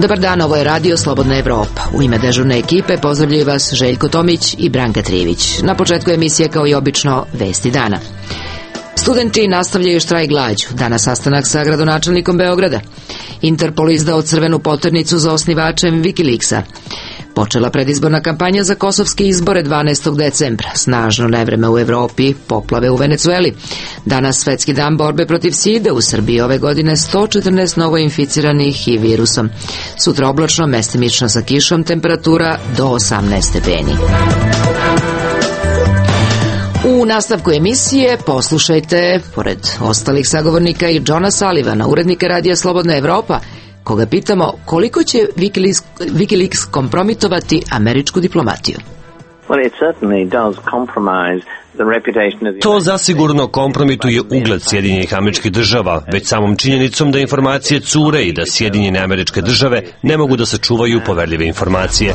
Dobar dan, ovo je Radio Slobodna Evropa. U ime dežurne ekipe pozdravljaju vas Željko Tomić i Branka Trivić. Na početku emisije, kao i obično, vesti dana. Studenti nastavljaju štrajk glađu. Danas sastanak sa gradonačelnikom Beograda. Interpol izdao crvenu poternicu za osnivačem Wikileaksa. Počela predizborna kampanja za kosovske izbore 12. decembra. Snažno nevreme u Evropi, poplave u Venecueli. Danas svetski dan borbe protiv side. U Srbiji ove godine 114 novoinficiranih HIV virusom. Sutra oblačno, mestimično sa kišom, temperatura do 18 stepeni. U nastavku emisije poslušajte, pored ostalih sagovornika, i Johna Sullivana, urednika Radija Slobodna Evropa, koga pitamo koliko će Wikileaks kompromitovati američku diplomatiju. To zasigurno kompromituje ugled Sjedinjenih Američkih Država, već samom činjenicom da informacije cure i da Sjedinjene Američke Države ne mogu da sačuvaju poverljive informacije.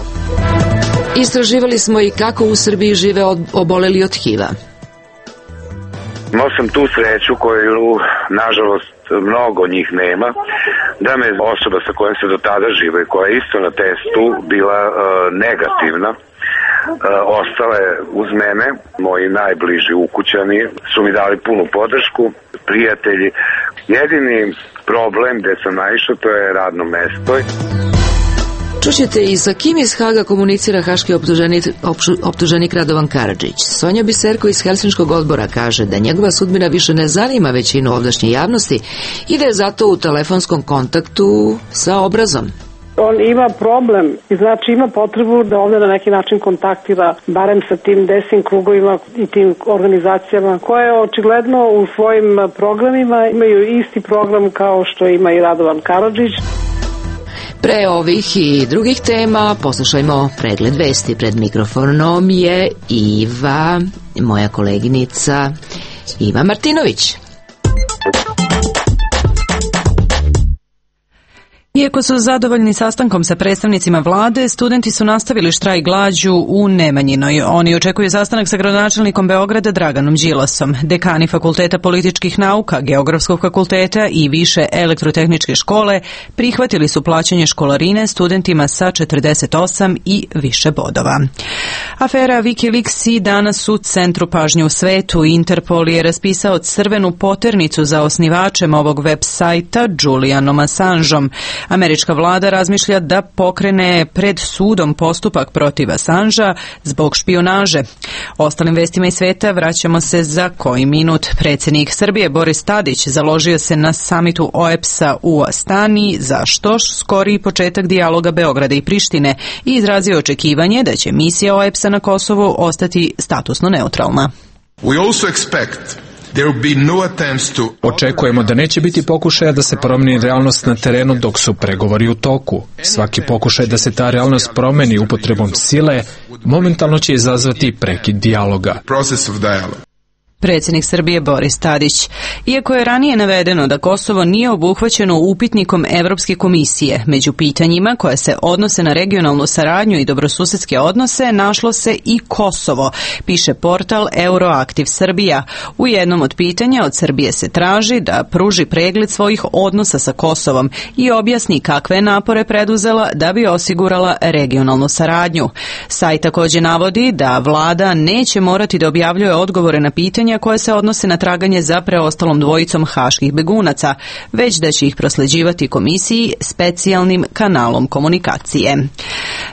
Istraživali smo i kako u Srbiji žive oboleli od HIV-a. Imao sam tu sreću koju, nažalost, mnogo njih nema, da me osoba sa kojom se do tada žive, koja je isto na testu bila negativna, ostale uz mene. Moji najbliži ukućani su mi dali punu podršku, prijatelji. Jedini problem gde sam naišao, to je radno mesto. Čućete i sa kim iz Haga komunicira haški optuženik Radovan Karadžić. Sonja Biserko iz Helsinškog odbora kaže da njegova sudbina više ne zanima većinu ovdašnje javnosti i da je zato u telefonskom kontaktu sa Obrazom. On ima problem i znači ima potrebu da ovdje na neki način kontaktira barem sa tim desnim krugovima i tim organizacijama koje očigledno u svojim programima imaju isti program kao što ima i Radovan Karadžić. Pre ovih i drugih tema poslušajmo pregled vesti. Pred mikrofonom je Iva, moja koleginica Iva Martinović. Iako su zadovoljni sastankom sa predstavnicima vlade, studenti su nastavili štrajk glađu u Nemanjinoj. Oni očekuju sastanak sa gradonačelnikom Beograda Draganom Đilasom. Dekani Fakulteta političkih nauka, Geografskog fakulteta i Više elektrotehničke škole prihvatili su plaćanje školarine studentima sa 48 i više bodova. Afera Wikileaks i danas u centru pažnje u svetu. Interpol je raspisao crvenu poternicu za osnivačem ovog web sajta Julianom Assangeom. Američka vlada razmišlja da pokrene pred sudom postupak protiv Assangea zbog špijunaže. Ostalim vestima iz sveta vraćamo se za koji minut. Predsjednik Srbije Boris Tadić založio se na samitu OEBS-a u Astani za što skoriji početak dijaloga Beograda i Prištine i izrazio očekivanje da će misija OEBS-a na Kosovu ostati statusno neutralna. Očekujemo da neće biti pokušaja da se promijeni realnost na terenu dok su pregovori u toku. Svaki pokušaj da se ta realnost promijeni upotrebom sile momentalno će izazvati prekid dijaloga. Predsjednik Srbije Boris Tadić. Iako je ranije navedeno da Kosovo nije obuhvaćeno upitnikom Evropske komisije, među pitanjima koje se odnose na regionalnu saradnju i dobrosusedske odnose našlo se i Kosovo, piše portal Euroaktiv Srbija. U jednom od pitanja od Srbije se traži da pruži pregled svojih odnosa sa Kosovom i objasni kakve napore preduzela da bi osigurala regionalnu saradnju. Sajt također navodi da vlada neće morati da objavljuje odgovore na pitanja koje se odnose na traganje za preostalom dvojicom haških begunaca, već da će ih prosleđivati komisiji specijalnim kanalom komunikacije.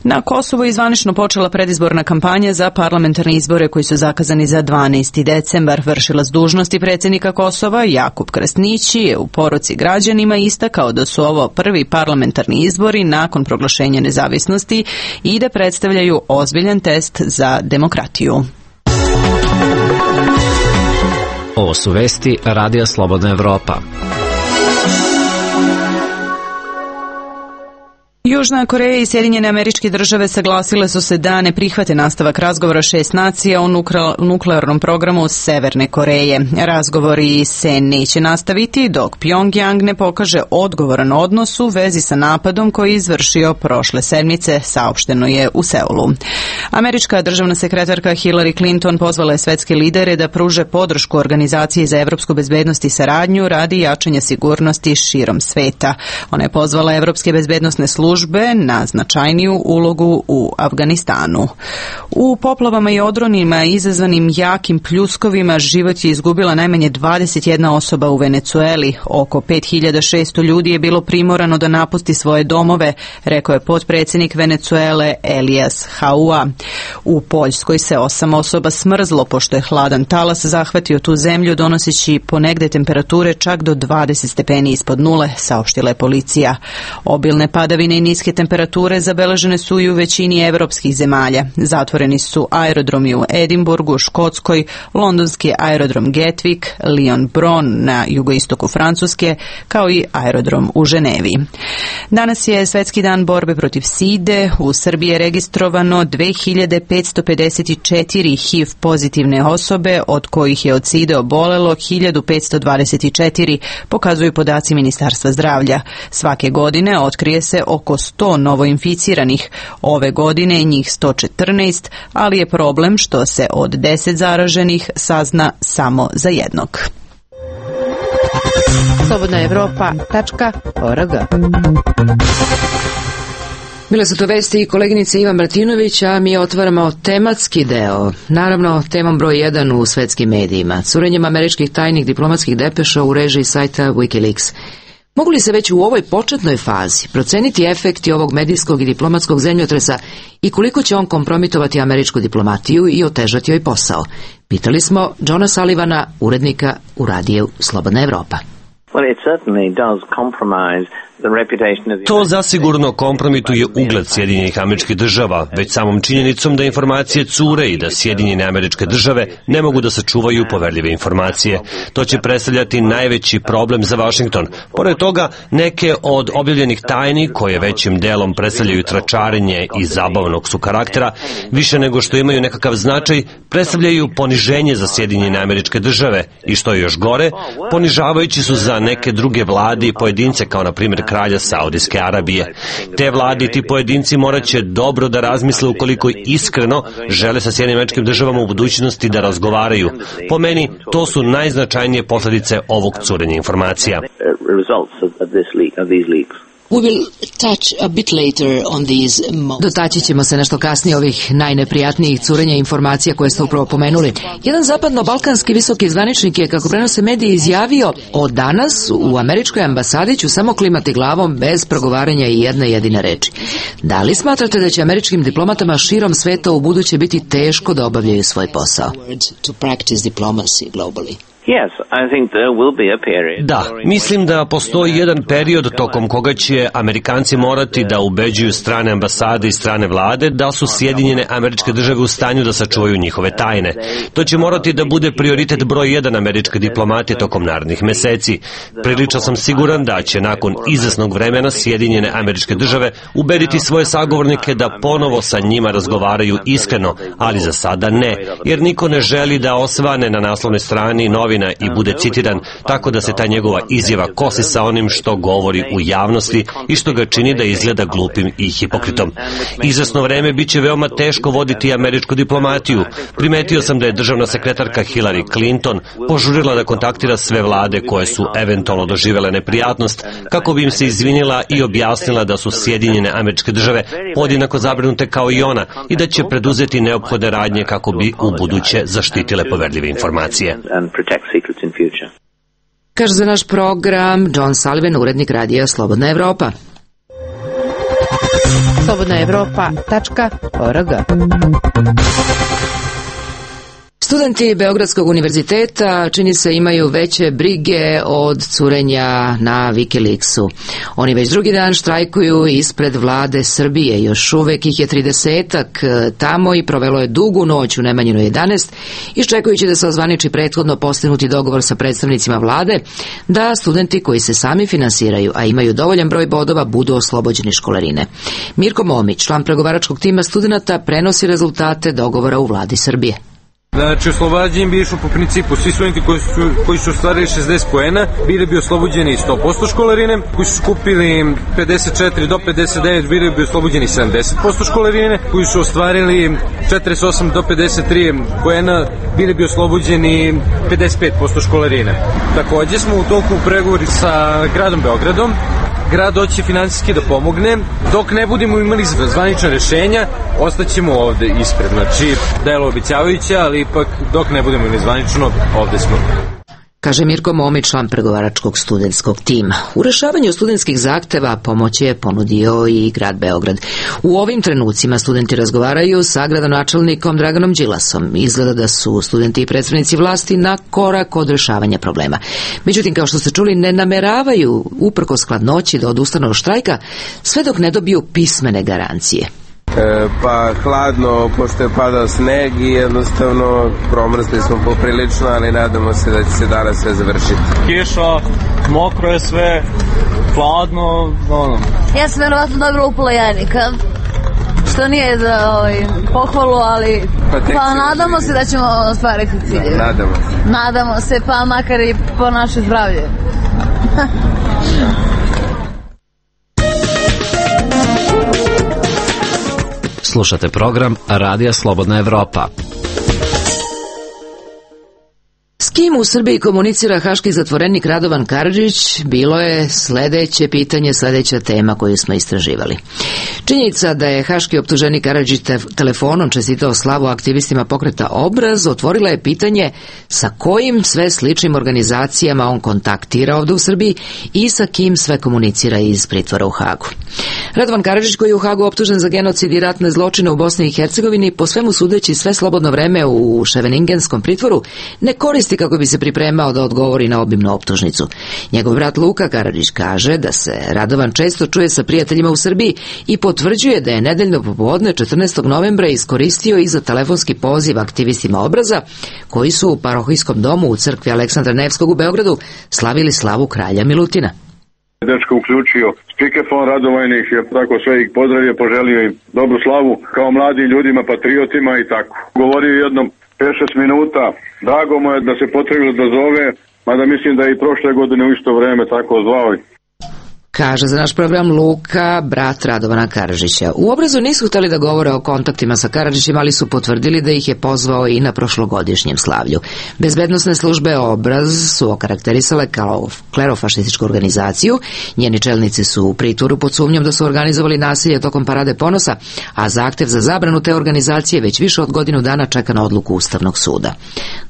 Na Kosovu je zvanično počela predizborna kampanja za parlamentarne izbore koji su zakazani za 12. decembar. Vršilac dužnosti predsjednika Kosova Jakub Krasnići je u poruci građanima istakao da su ovo prvi parlamentarni izbori nakon proglašenja nezavisnosti i da predstavljaju ozbiljan test za demokratiju. Ovo su vesti Radija Slobodna Evropa. Južna Koreja i Sjedinjene Američke Države saglasile su se da ne prihvate nastavak razgovora 6 nacija o nuklearnom programu Severne Koreje. Razgovori se neće nastaviti dok Pyongyang ne pokaže odgovoran odnos u vezi sa napadom koji je izvršio prošle sedmice, saopšteno je u Seulu. Američka državna sekretarka Hillary Clinton pozvala je svetske lidere da pruže podršku Organizaciji za evropsku bezbednost i saradnju radi jačanja sigurnosti širom sveta. Ona je pozvala evropske bezbednosne službe tužbe na značajniju ulogu u Afganistanu. U poplavama i odronima izazvanim jakim pljuskovima život je izgubila najmanje 21 osoba u Venecueli. Oko 5600 ljudi je bilo primorano da napusti svoje domove, rekao je potpredsjednik Venecuele Elias Haua. U Poljskoj se 8 osoba smrzlo pošto je hladan talas zahvatio tu zemlju, donoseći ponegde temperature čak do 20 stepeni ispod nule, saopštila je policija. Obilne padavine i niske temperature zabeležene su i u većini evropskih zemalja. Zatvoreni su aerodromi u Edinburgu, Škotskoj, londonski aerodrom Gatwick, Lyon-Bron na jugoistoku Francuske, kao i aerodrom u Ženevi. Danas je Svetski dan borbe protiv side. U Srbiji je registrovano 2554 HIV pozitivne osobe, od kojih je od side obolelo 1524, pokazuju podaci Ministarstva zdravlja. Svake godine otkrije se oko 100 novoinficiranih. Ove godine je njih 114, ali je problem što se od 10 zaraženih sazna samo za jednog. slobodnaevropa.org. Bile su to vesti i koleginice Ivan Martinović, a mi otvaramo tematski deo. Naravno, temom broj 1 u svetskim medijima. Curenjem američkih tajnih diplomatskih depeša u režiji sajta Wikileaks. Mogu li se već u ovoj početnoj fazi proceniti efekti ovog medijskog i diplomatskog zemljotresa i koliko će on kompromitovati američku diplomatiju i otežati joj posao? Pitali smo Johna Sullivana, urednika u radiju Slobodna Evropa. To zasigurno kompromituje ugled Sjedinjenih Američkih Država, već samom činjenicom da informacije cure i da Sjedinjene Američke Države ne mogu da sačuvaju poverljive informacije. To će predstavljati najveći problem za Washington. Pored toga, neke od objavljenih tajni, koje većim delom predstavljaju tračarenje i zabavnog su karaktera, više nego što imaju nekakav značaj, predstavljaju poniženje za Sjedinjene Američke Države i što je još gore, ponižavajući su za neke druge vlade i pojedince, kao na primjer kralja Saudijske Arabije. Te vlade i ti pojedinci morat će dobro da razmisle ukoliko iskreno žele sa Sjedinjenim Američkim Državama u budućnosti da razgovaraju. Po meni, to su najznačajnije posljedice ovog curenja informacija. Dotaći ćemo se nešto kasnije ovih najneprijatnijih curenja informacija koje ste upravo pomenuli. Jedan zapadno-balkanski visoki zvaničnik je, kako prenose mediji, izjavio: od danas u američkoj ambasadi ću samo klimati glavom bez progovaranja i jedne jedine reči. Da li smatrate da će američkim diplomatama širom sveta u buduće biti teško da obavljaju svoj posao? Da, mislim da postoji jedan period tokom koga će Amerikanci morati da ubeđuju strane ambasade i strane vlade da su Sjedinjene Američke Države u stanju da sačuvaju njihove tajne. To će morati da bude prioritet broj 1 američke diplomatije tokom narednih meseci. Prilično sam siguran da će nakon izvesnog vremena Sjedinjene Američke Države ubediti svoje sagovornike da ponovo sa njima razgovaraju iskreno, ali za sada ne, jer niko ne želi da osvane na naslovnoj strani novina i bude citiran tako da se ta njegova izjava kosi sa onim što govori u javnosti i što ga čini da izgleda glupim i hipokritom. Izvesno vreme biće veoma teško voditi američku diplomatiju. Primetio sam da je državna sekretarka Hillary Clinton požurila da kontaktira sve vlade koje su eventualno doživele neprijatnost kako bi im se izvinila i objasnila da su Sjedinjene Američke Države podjednako zabrinute kao i ona i da će preduzeti neophodne radnje kako bi u buduće zaštitile poverljive informacije. Kaže za naš program John Sullivan, urednik radija Slobodna Evropa. slobodnaevropa.org. Studenti Beogradskog univerziteta čini se imaju veće brige od curenja na Wikileaksu. Oni već drugi dan štrajkuju ispred vlade Srbije. Još uvek ih je 30-ak tamo i provelo je dugu noć u Nemanjinu 11, iščekujući da se ozvaniči prethodno postignuti dogovor sa predstavnicima vlade da studenti koji se sami finansiraju, a imaju dovoljan broj bodova, budu oslobođeni školarine. Mirko Momić, član pregovaračkog tima studenata, prenosi rezultate dogovora u vladi Srbije. Znači, oslobađanjem bi išlo po principu svi studenti koji su ostvarili 60 poena bili bi oslobođeni 100% školarine, koji su skupili 54 do 59 bili bi oslobođeni 70% školarine, koji su ostvarili 48 do 53 poena bili bi oslobođeni 55% školarine. Takođe smo u toku pregovori sa gradom Beogradom grad hoće finansijski da pomogne. Dok ne budemo imali zvanična rešenja, ostaćemo ovde ispred. Znači, delo obećavajuće, ali ipak dok ne budemo imali zvanično, ovde smo. Kaže Mirko Momić, član pregovaračkog studentskog tima. U rešavanju studentskih zahteva pomoć je ponudio i grad Beograd. U ovim trenucima studenti razgovaraju sa gradonačelnikom Draganom Đilasom. Izgleda da su studenti i predstavnici vlasti na korak od rešavanja problema. Međutim, kao što ste čuli, ne nameravaju uprkos hladnoći da odustanu od štrajka sve dok ne dobiju pismene garancije. Pa hladno, pošto je padao sneg i jednostavno promrzli smo poprilično, ali nadamo se da će se danas sve završiti. Kiša, mokro je sve, hladno, Ja sam verovatno dobila upala jajnika, što nije za pohvalu, ali pa nadamo se da ćemo ostvariti cilje. Nadamo se, pa makar i po naše zdravlje. Slušate program Radija Slobodna Evropa. S kim u Srbiji komunicira haški zatvorenik Radovan Karadžić bilo je sledeće pitanje, sledeća tema koju smo istraživali. Činjenica da je haški optuženik Karadžić telefonom čestitao slavu aktivistima pokreta Obraz otvorila je pitanje sa kojim sve sličnim organizacijama on kontaktira ovde u Srbiji i sa kim sve komunicira iz pritvora u Hagu. Radovan Karadžić, koji je u Hagu optužen za genocid i ratne zločine u Bosni i Hercegovini, po svemu sudeći sve slobodno vreme u Ševeningenskom pritvoru, ne koristi kako bi se pripremao da odgovori na obimnu optužnicu. Njegov brat Luka Karadžić kaže da se Radovan često čuje sa prijateljima u Srbiji i potvrđuje da je nedeljno popodne 14. novembra iskoristio i za telefonski poziv aktivistima Obraza, koji su u parohijskom domu u crkvi Aleksandra Nevskog u Beogradu slavili slavu kralja Milutina. Dečko uključio spikefon, Radovan ih je tako sve ih pozdravio, poželio im dobru slavu kao mladim ljudima, patriotima i tako. Govorio jednom 5-6 minuta, drago mu je da se potrebilo da zove, mada mislim da je i prošle godine u isto vreme tako zvao. Kaže za naš program Luka, brat Radovana Karadžića. U Obrazu nisu hteli da govore o kontaktima sa Karadžićem, ali su potvrdili da ih je pozvao i na prošlogodišnjem slavlju. Bezbednosne službe Obraz su okarakterisale kao klerofašističku organizaciju. Njeni čelnici su u pritvoru pod sumnjom da su organizovali nasilje tokom Parade ponosa, a zahtev za zabranu te organizacije već više od godinu dana čeka na odluku Ustavnog suda.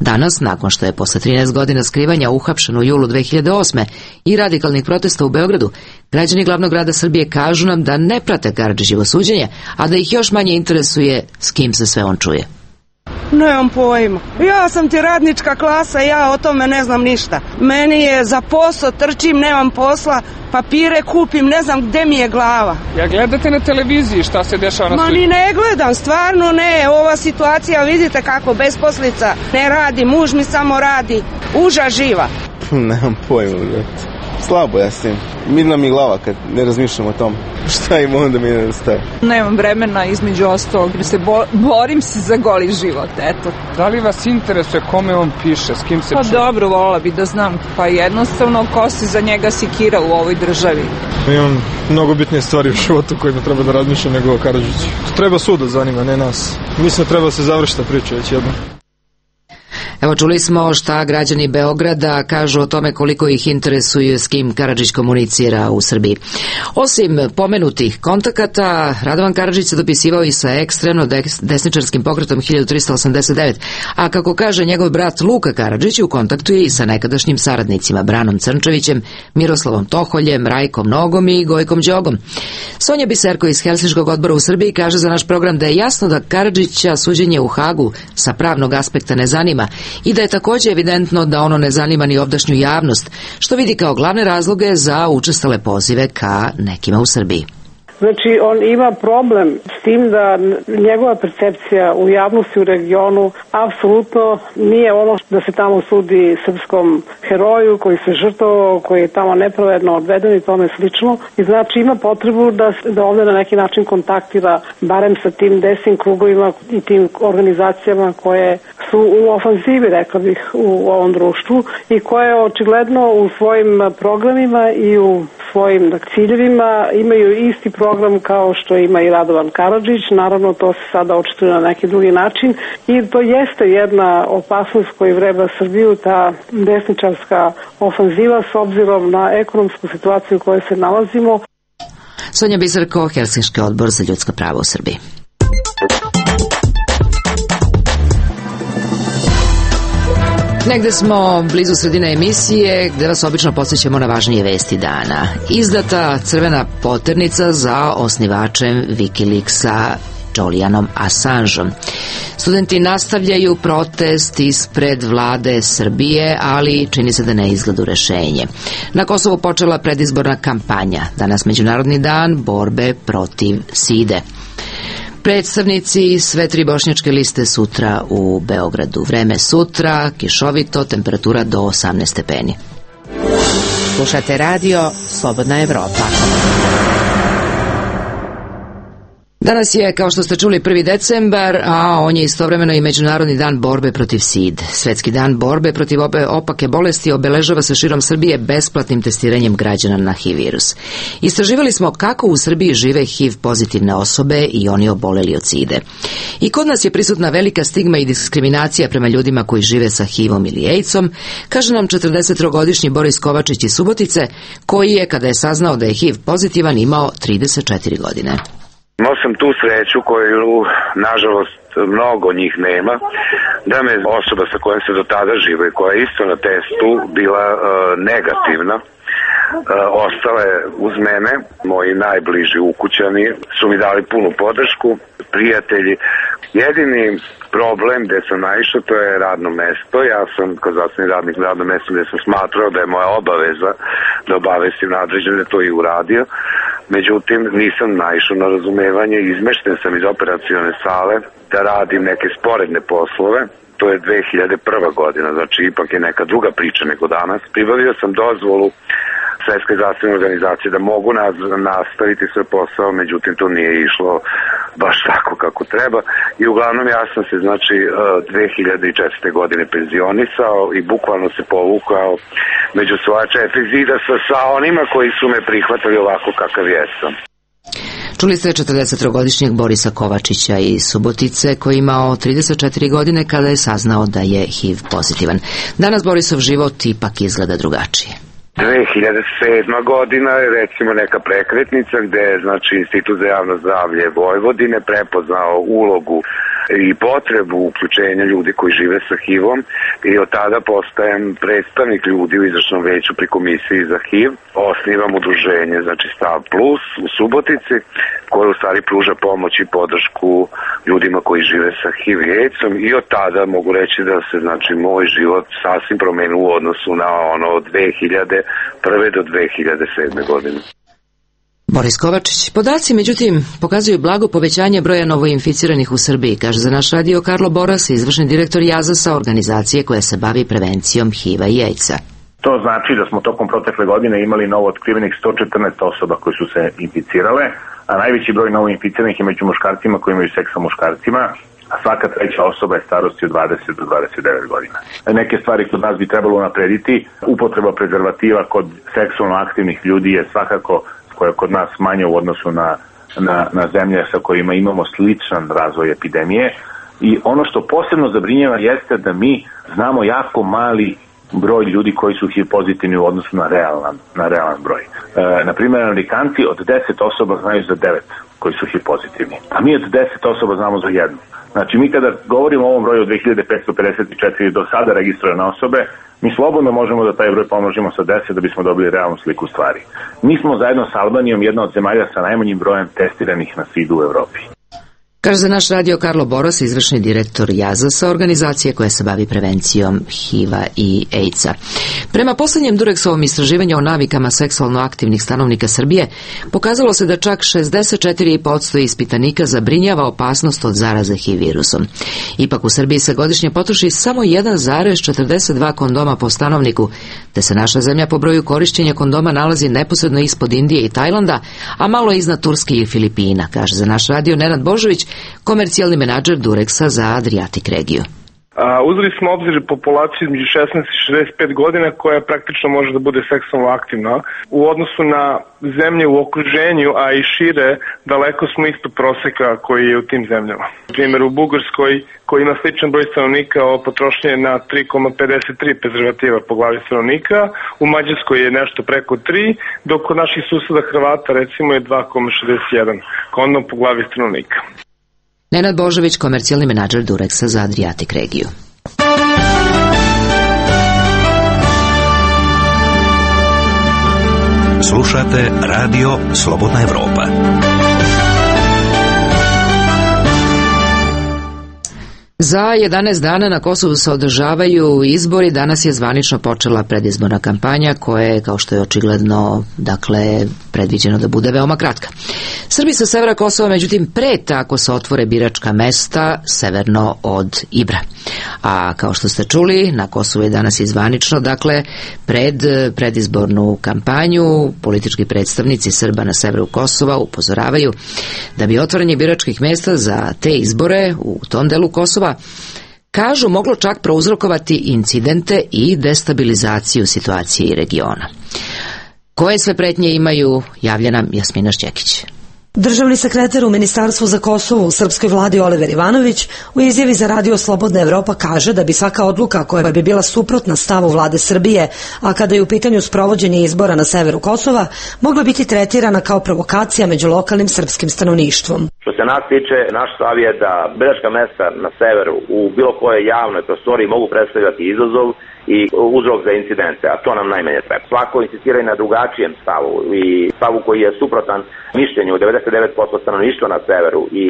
Danas, nakon što je posle 13 godina skrivanja uhapšen u julu 2008. i radikalnih protesta u Beogradu, građani glavnog grada Srbije kažu nam da ne prate Karadžićevo suđenje, a da ih još manje interesuje s kim se sve on čuje. Nemam pojma. Ja sam ti radnička klasa, ja o tome ne znam ništa. Meni je za posao, trčim, nemam posla, papire kupim, ne znam gde mi je glava. Ja gledate na televiziji šta se dešava na svijetu? Ma ni ne gledam, stvarno ne. Ova situacija, vidite kako, besposlica, ne radi, muž mi samo radi, uža živa. Nemam pojma, brate. Slabo ja s tim. Mirna mi glava kad ne razmišljam o tom. Šta im onda mi nedostaje? Nemam vremena, između ostalog. Borim se za goli život, eto. Da li vas interesuje kome on piše, s kim se čuje? Pa dobro, volila bi da znam. Pa jednostavno, ko se za njega sikira u ovoj državi? Imam mnogo bitnije stvari u životu kojima treba da razmišljam nego o Karadžiću. Treba sud da zanima, ne nas. Mislim da treba se završiti priča već jedno. Evo, čuli smo šta građani Beograda kažu o tome koliko ih interesuje s kim Karadžić komunicira u Srbiji. Osim pomenutih kontakata, Radovan Karadžić se dopisivao i sa ekstremno desničarskim pokretom 1389, a kako kaže njegov brat Luka Karadžić, u kontaktu je i sa nekadašnjim saradnicima Branom Crnčevićem, Miroslavom Toholjem, Rajkom Nogom i Gojkom Đogom. Sonja Biserko iz Helsinškog odbora u Srbiji kaže za naš program da je jasno da Karadžića suđenje u Hagu sa pravnog aspekta ne zanima i da je također evidentno da ono ne zanima ni ovdašnju javnost, što vidi kao glavne razloge za učestale pozive ka nekima u Srbiji. Znači, on ima problem s tim da njegova percepcija u javnosti u regionu apsolutno nije ono da se tamo sudi srpskom heroju koji se žrtvovao, koji je tamo nepravedno odveden i tome slično. I znači ima potrebu da ovdje na neki način kontaktira barem sa tim desnim krugovima i tim organizacijama koje su u ofanzivi, rekla bih, u ovom društvu i koje očigledno u svojim programima i u svojim ciljevima, imaju isti program kao što ima i Radovan Karadžić, naravno to se sada očituje na neki drugi način i to jeste jedna opasnost koju vreba Srbiju, ta desničarska ofanziva s obzirom na ekonomsku situaciju u kojoj se nalazimo. Sonja Bizarko, Helsinški odbor za ljudska prava u Srbiji. Negde smo blizu sredine emisije gde vas obično podsjećamo na važnije vesti dana. Izdata crvena poternica za osnivačem Wikileaksa Julianom Assangeom. Studenti nastavljaju protest ispred vlade Srbije, ali čini se da ne izgleda rešenje. Na Kosovu počela predizborna kampanja. Danas Međunarodni dan borbe protiv side. Predstavnici sve tri bošnjačke liste sutra u Beogradu. Vreme sutra, kišovito, temperatura do 18 stepeni. Slušate radio Slobodna Evropa. Danas je, kao što ste čuli, 1. decembar, a on je istovremeno i Međunarodni dan borbe protiv SID. Svetski dan borbe protiv ove opake bolesti obeležava se širom Srbije besplatnim testiranjem građana na HIV virus. Istraživali smo kako u Srbiji žive HIV pozitivne osobe i oni oboleli od SIDE. I kod nas je prisutna velika stigma i diskriminacija prema ljudima koji žive sa HIV-om ili AIDS-om, kaže nam 43-godišnji Boris Kovačić iz Subotice, koji je, kada je saznao da je HIV pozitivan, imao 34 godine. Imao sam tu sreću koju, nažalost, mnogo njih nema, da me osoba sa kojom se do tada žive, koja je isto na testu bila negativna, ostala je uz mene, moji najbliži ukućani su mi dali punu podršku, prijatelji. Jedini problem gde sam naišao, to je radno mesto. Ja sam kao zdravstveni radnik na radnom mestu gde sam smatrao da je moja obaveza da obavestim nadređene, da to i uradio. Međutim, nisam naišao na razumevanje, izmešten sam iz operacione sale da radim neke sporedne poslove. To je 2001. godina, znači ipak je neka druga priča nego danas. Pribavio sam dozvolu Svetske zdravstvene organizacije da mogu nastaviti svoj posao, međutim to nije išlo baš tako kako treba i uglavnom ja sam se znači 2004. godine penzionisao i bukvalno se povukao među svoja četiri zida sa onima koji su me prihvatali ovako kakav jesam. Čuli ste 43-godišnjeg Borisa Kovačića iz Subotice koji je imao 34 godine kada je saznao da je HIV pozitivan. Danas Borisov život ipak izgleda drugačije. 2007. godina je recimo neka prekretnica gde je znači Institut za javno zdravlje Vojvodine prepoznao ulogu i potrebu uključenja ljudi koji žive sa HIV-om i od tada postajem predstavnik ljudi u izvršnom veću pri komisiji za HIV. Osnivam udruženje, znači Stav Plus u Subotici, koje u stvari pruža pomoć i podršku ljudima koji žive sa HIV i AIDS-om i od tada mogu reći da se znači moj život sasvim promenio u odnosu na ono od 2001. do 2007. godine. Boris Kovačić. Podaci, međutim, pokazuju blago povećanje broja novoinficiranih u Srbiji, kaže za naš radio Karlo Boras, izvršni direktor JAZAS-a, organizacije koja se bavi prevencijom HIV-a i AIDS-a. To znači da smo tokom protekle godine imali novo otkrivenih 114 osoba koje su se inficirale, a najveći broj novoinficiranih je među muškarcima koji imaju seks sa muškarcima, a svaka treća osoba je starosti od 20 do 29 godina. Neke stvari kod nas bi trebalo naprediti. Upotreba prezervativa kod seksualno aktivnih ljudi je svakako koja je kod nas manje u odnosu na zemlje sa kojima imamo sličan razvoj epidemije. I ono što posebno zabrinjava jeste da mi znamo jako mali broj ljudi koji su HIV pozitivni u odnosu na realan broj. Naprimjer, Amerikanci od 10 osoba znaju za 9 koji su HIV pozitivni, a mi od 10 osoba znamo za jednu. Znači, mi kada govorimo o ovom broju od 2554 do sada registrovane osobe, mi slobodno možemo da taj broj pomnožimo sa 10 da bismo dobili realnu sliku stvari. Mi smo zajedno sa Albanijom jedna od zemalja sa najmanjim brojem testiranih na SID u Evropi. Kaže za naš radio Karlo Boras, izvršni direktor JAZAS-a, organizacije koja se bavi prevencijom HIV-a i AIDS-a. Prema poslednjem Dureksovom istraživanju o navikama seksualno aktivnih stanovnika Srbije, pokazalo se da čak 64% ispitanika zabrinjava opasnost od zaraze HIV virusom. Ipak u Srbiji se godišnje potroši samo 1,42 kondoma po stanovniku, te se naša zemlja po broju korišćenja kondoma nalazi neposredno ispod Indije i Tajlanda, a malo iznad Turske i Filipina, kaže za naš radio Nenad Božović, komercijalni menadžer Dureksa za Adriatic regiju. Uzeli smo obzir populaciju između 16 i 65 godina koja praktično može da bude seksualno aktivna. U odnosu na zemlje u okruženju, a i šire, daleko smo ispod proseka koji je u tim zemljama. Na primjer, u Bugarskoj, koji ima sličan broj stanovnika, potrošnje je na 3,53 prezervativa po glavi stanovnika, u Mađarskoj je nešto preko 3, dok kod naših suseda Hrvata recimo je 2,61 kondom po glavi stanovnika. Nenad Božović, komercijalni menadžer Durexa za Adriatic regiju. Slušate Radio Slobodna Evropa. Za 11 dana na Kosovu se održavaju izbori. Danas je zvanično počela predizborna kampanja koja je, kao što je očigledno, predviđeno da bude veoma kratka. Srbi sa severa Kosova, međutim, preta ako se otvore biračka mesta severno od Ibra. A kao što ste čuli, na Kosovu je danas i zvanično, pred predizbornu kampanju politički predstavnici Srba na severu Kosova upozoravaju da bi otvaranje biračkih mesta za te izbore u tom delu Kosova, kažu, moglo čak prouzrokovati incidente i destabilizaciju situacije regiona. Koje sve pretnje imaju, javlja nam Jasmina Šćekić. Državni sekretar u Ministarstvu za Kosovo u srpskoj vladi Oliver Ivanović u izjavi za Radio Slobodna Evropa kaže da bi svaka odluka koja bi bila suprotna stavu vlade Srbije, a kada je u pitanju sprovođenje izbora na severu Kosova, mogla biti tretirana kao provokacija među lokalnim srpskim stanovništvom. Što se nas tiče, naš stav je da biračka mesta na severu u bilo kojoj javnoj prostoriji mogu predstavljati izazov i uzrok za incidente, a to nam najmanje treba. Svako insistira i na drugačijem stavu i stavu koji je suprotan mišljenju 99% stanovništva na severu i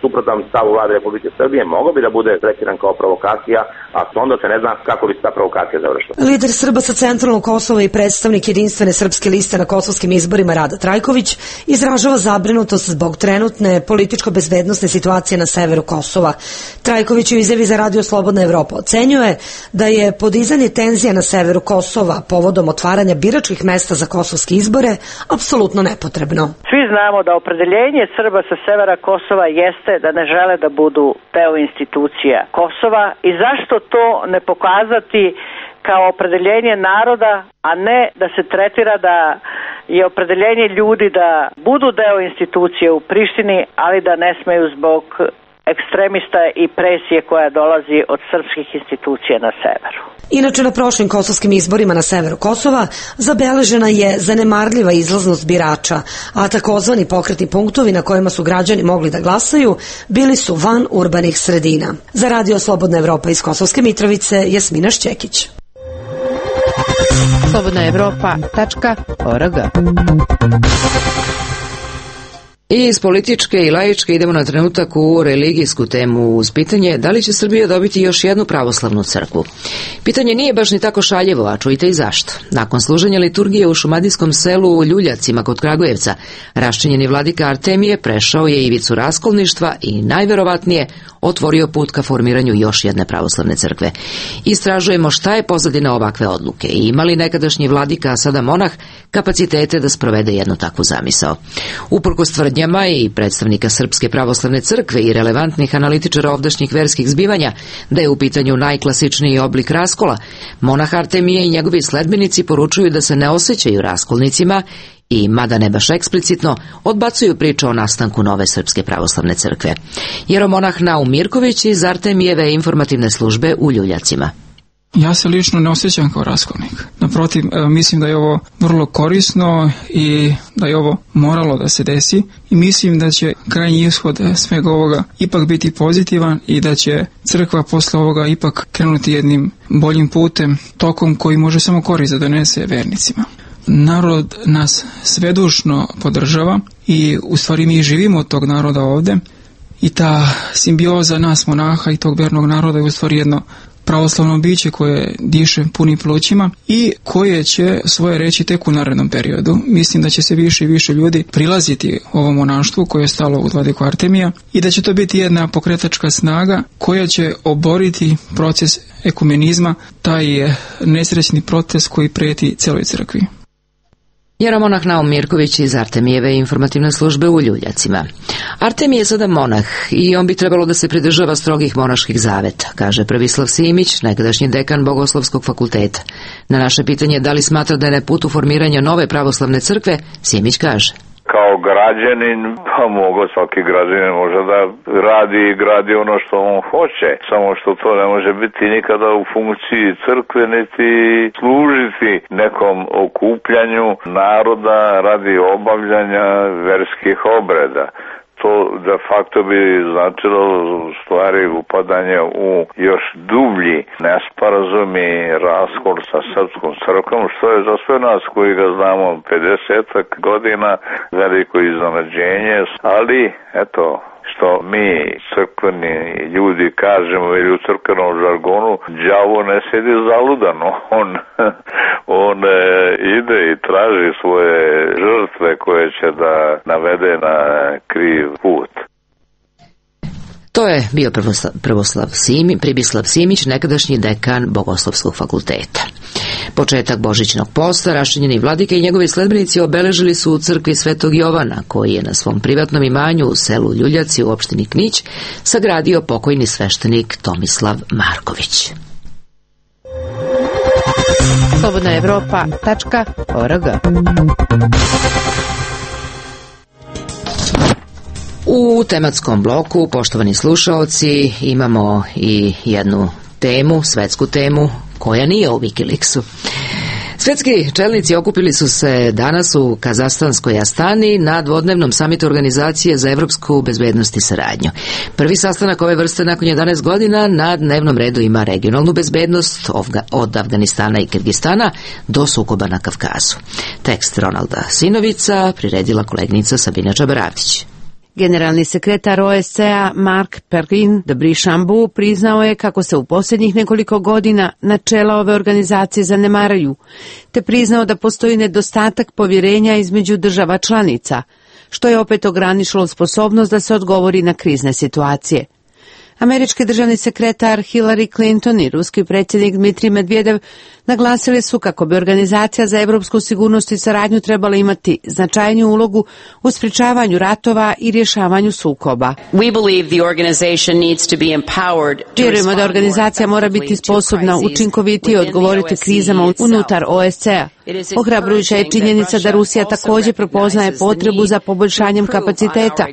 suprotan stavu vlade Republike Srbije mogao bi da bude tretiran kao provokacija, a onda se ne zna kako bi se ta provokacija završila. Lider Srba sa centralnog Kosova i predstavnik Jedinstvene srpske liste na kosovskim izborima Rada Trajković izražava zabrinutost zbog trenutne političko-bezbednosne situacije na severu Kosova. Trajković u izjavi za Radio Slobodna Evropa ocenjuje da je podizanje tenzija na severu Kosova povodom otvaranja biračkih mesta za kosovske izbore apsolutno nepotrebno. Svi znamo da opredeljenje Srba sa severa Kosova jeste da ne žele da budu deo institucija Kosova i zašto to ne pokazati kao opredeljenje naroda, a ne da se tretira da je opredeljenje ljudi da budu deo institucije u Prištini, ali da ne smeju zbog ekstremista i presije koja dolazi od srpskih institucija na severu. Inače, na prošlim kosovskim izborima na severu Kosova zabeležena je zanemarljiva izlaznost birača, a takozvani pokretni punktovi na kojima su građani mogli da glasaju bili su van urbanih sredina. Za Radio Slobodna Evropa iz Kosovske Mitrovice, Jasmina Šćekić. slobodnaevropa.org. I iz političke i laičke idemo na trenutak u religijsku temu uz pitanje da li će Srbija dobiti još jednu pravoslavnu crkvu. Pitanje nije baš ni tako šaljevo, a čujte i zašto. Nakon služenja liturgije u šumadijskom selu u Ljuljacima kod Kragujevca, raščinjeni vladika Artemije prešao je ivicu raskolništva i najverovatnije otvorio put ka formiranju još jedne pravoslavne crkve. Istražujemo šta je pozadina ovakve odluke i ima li nekadašnji vladika, a sada monah, kapacitete da sprovede jednu takvu zamisao. Uprkos tvrdnjama i predstavnika Srpske pravoslavne crkve i relevantnih analitičara ovdašnjih verskih zbivanja da je u pitanju najklasičniji oblik raskola, monah Artemije i njegovi sledbenici poručuju da se ne osjećaju raskolnicima i, mada ne baš eksplicitno, odbacuju priču o nastanku nove Srpske pravoslavne crkve. Jeromonah Naum Mirković iz Artemijeve informativne službe u Ljuljacima. Ja se lično ne osjećam kao raskolnik. Naprotiv, mislim da je ovo vrlo korisno i da je ovo moralo da se desi i mislim da će krajnji ishod svega ovoga ipak biti pozitivan i da će crkva posle ovoga ipak krenuti jednim boljim putem, tokom koji može samo korist da donese vernicima. Narod nas svedušno podržava i u stvari mi živimo od tog naroda ovde i ta simbioza nas monaha i tog vernog naroda je u stvari jedno pravoslavno biće koje diše punim plućima i koje će svoje reći tek u narednom periodu. Mislim da će se više i više ljudi prilaziti ovom monaštvu koje je stalo u vladiku Artemija i da će to biti jedna pokretačka snaga koja će oboriti proces ekumenizma, taj nesrećni proces koji preti celoj crkvi. Jeromonah Naum Mirković iz Artemijeve informativne službe u Ljuljacima. Artemij je sada monah i on bi trebalo da se pridržava strogih monaških zaveta, kaže Prvislav Simić, nekadašnji dekan Bogoslovskog fakulteta. Na naše pitanje da li smatra da je na putu formiranja nove pravoslavne crkve, Simić kaže: Kao građanin, pa svaki građanin može da radi i gradi ono što on hoće, samo što to ne može biti nikada u funkciji crkve, niti služiti nekom okupljanju naroda radi obavljanja verskih obreda. To de facto bi značilo u stvari upadanje u još dublji nesporazum i raskol sa srpskom crkvom, što je za sve nas koji ga znamo 50 godina veliko iznenađenje, ali eto, što mi crkveni ljudi kažemo ili u crkvenom žargonu, đavo ne sedi zaludan, on ide i traži svoje žrtve koje će da navede na kriv put. To je bio Pribislav Simić, nekadašnji dekan Bogoslovskog fakulteta. Početak božićnog posta, raščinjeni vladike i njegovi sledbenici obeležili su u crkvi Svetog Jovana, koji je na svom privatnom imanju u selu Ljuljaci u opštini Knić sagradio pokojni sveštenik Tomislav Marković. slobodnaevropa.org. U tematskom bloku, poštovani slušaoci, imamo i jednu temu, svetsku temu, koja nije u Wikileaksu. Svetski čelnici okupili su se danas u Kazahstanskoj Astani na dvodnevnom samitu Organizacije za evropsku bezbednost i saradnju. Prvi sastanak ove vrste nakon 11 godina na dnevnom redu ima regionalnu bezbednost od Afganistana i Kirgistana do sukoba na Kavkazu. Tekst Ronalda Sinovica priredila kolegnica Sabina Čabaravdić. Generalni sekretar OSCE-a Mark Perrin de Brichambeau priznao je kako se u posljednjih nekoliko godina načela ove organizacije zanemaraju, te priznao da postoji nedostatak povjerenja između država članica, što je opet ograničilo sposobnost da se odgovori na krizne situacije. Američki državni sekretar Hillary Clinton i ruski predsjednik Dmitrij Medvedev naglasili su kako bi Organizacija za evropsku sigurnost i saradnju trebala imati značajniju ulogu u sprječavanju ratova i rješavanju sukoba. Vjerujemo da organizacija mora biti sposobna učinkovitije odgovoriti krizama unutar OSCE-a. Ohrabrujuća je činjenica da Rusija također prepoznaje potrebu za poboljšanjem kapaciteta,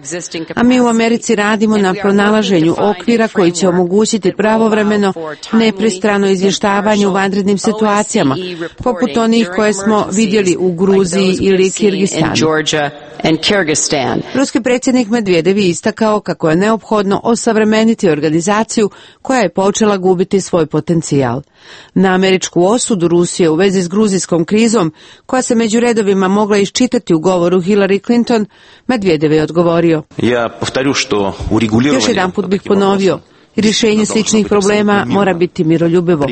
a mi u Americi radimo na pronalaženju okvira koji će omogućiti pravovremeno, nepristrano izvještavanje u vanrednim situacijama, poput onih koje smo vidjeli u Gruziji ili Kirgistanu. Ruski predsjednik Medvedev je istakao kako je neophodno osavremeniti organizaciju koja je počela gubiti svoj potencijal. Na američku osudu Rusije u vezi s gruzijskom krizom, koja se među redovima mogla iščitati u govoru Hillary Clinton, Medvedev je odgovorio: Još jedan put bih ponovio, rješenje sličnih problema mora biti miroljubivo.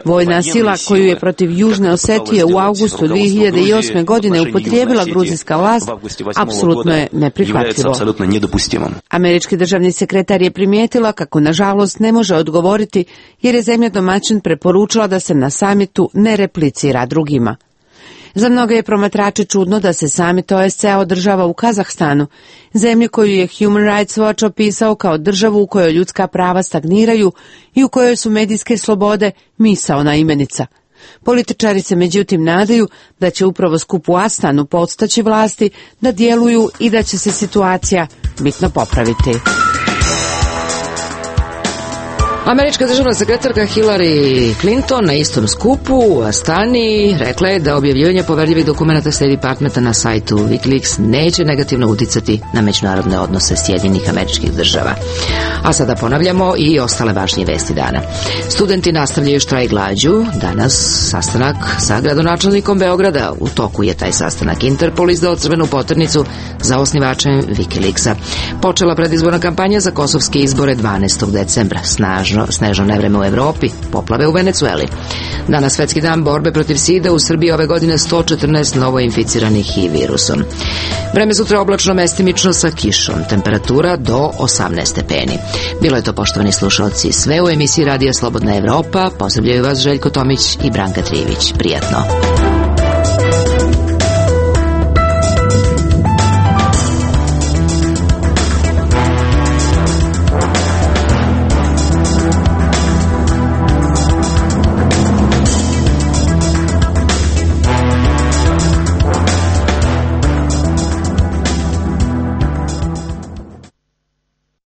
Vojna sila koju je protiv Južne Osetije u avgustu 2008. godine upotrijebila gruzijska vlast apsolutno je neprihvatljivo. Američki državni sekretar je primijetila kako nažalost ne može odgovoriti jer je zemlja domaćin preporučila da se na samitu ne replicira drugima. Za mnoge je promatrače čudno da se samit OSCE održava u Kazahstanu, zemlji koju je Human Rights Watch opisao kao državu u kojoj ljudska prava stagniraju i u kojoj su medijske slobode misaona imenica. Političari se međutim nadaju da će upravo skup u Astanu podstaći vlasti da djeluju i da će se situacija bitno popraviti. Američka državna sekretarka Hillary Clinton na istom skupu u Astani rekla je da objavljivanje poverljivih dokumenata State Departmenta na sajtu Wikileaks neće negativno uticati na međunarodne odnose Sjedinjenih Američkih Država. A sada ponavljamo i ostale važnije vesti dana. Studenti nastavljaju štrajk glađu. Danas sastanak sa gradonačelnikom Beograda. U toku je taj sastanak. Interpol izdao crvenu poternicu za osnivačem Wikileaksa. Počela predizborna kampanja za kosovske izbore 12. decembra. Snežno nevreme u Evropi, poplave u Venecueli. Danas svetski dan borbe protiv sida, u Srbiji ove godine 114 novo inficiranih HIV virusom. Vreme sutra oblačno, mestimično sa kišom, temperatura do 18 stepeni. Bilo je to, poštovani slušalci, sve u emisiji Radija Slobodna Evropa. Pozdravljaju vas Željko Tomić i Branka Trijević. Prijatno.